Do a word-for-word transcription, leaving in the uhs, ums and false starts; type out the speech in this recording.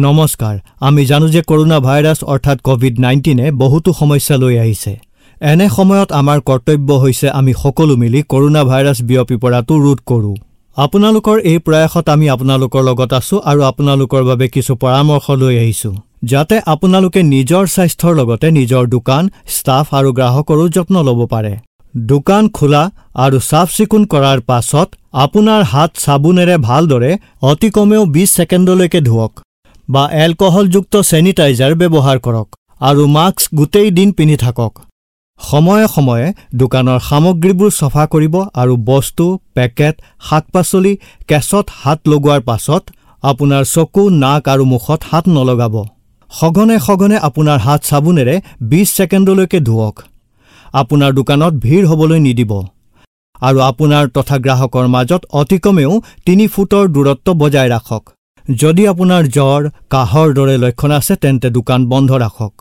নমস্কাৰ, আমি জানো যে কৰোণা ভাইৰাছ অৰ্থাৎ কভিড নাইণ্টিনে বহুতো সমস্যা লৈ আহিছে। এনে সময়ত আমাৰ কৰ্তব্য হৈছে আমি সকলো মিলি কৰোণা ভাইৰাছ বিয়পি পৰাটো ৰোধ কৰোঁ। আপোনালোকৰ এই প্ৰয়াসত আমি আপোনালোকৰ লগত আছো আৰু আপোনালোকৰ বাবে কিছু পৰামৰ্শ লৈ আহিছো, যাতে আপোনালোকে নিজৰ স্বাস্থ্যৰ লগতে নিজৰ দোকান, ষ্টাফ আৰু গ্ৰাহকৰো যত্ন ল'ব পাৰে। দোকান খোলা আৰু চাফ চিকুণ কৰাৰ পাছত আপোনাৰ হাত চাবোনেৰে ভালদৰে অতি কমেও বিশ ছেকেণ্ডলৈকে ধোৱক বা এলকহলযুক্ত ছেনিটাইজাৰ ব্যৱহাৰ কৰক আৰু মাস্ক গোটেই দিন পিন্ধি থাকক। সময়ে সময়ে দোকানৰ সামগ্ৰীবোৰ চফা কৰিব আৰু বস্তু, পেকেট, শাক পাচলি, কেছত হাত লগোৱাৰ পাছত আপোনাৰ চকু, নাক আৰু মুখত হাত নলগাব। সঘনে সঘনে আপোনাৰ হাত চাবোনেৰে বিশ ছেকেণ্ডলৈকে ধোৱক। আপোনাৰ দোকানত ভিৰ হ'বলৈ নিদিব আৰু আপোনাৰ তথা গ্ৰাহকৰ মাজত অতি কমেও তিনি ফুটৰ দূৰত্ব বজাই ৰাখক। যদি আপোনাৰ জ্বৰ, কাহৰ দৰে লক্ষণ আছে তেন্তে দোকান বন্ধ ৰাখক।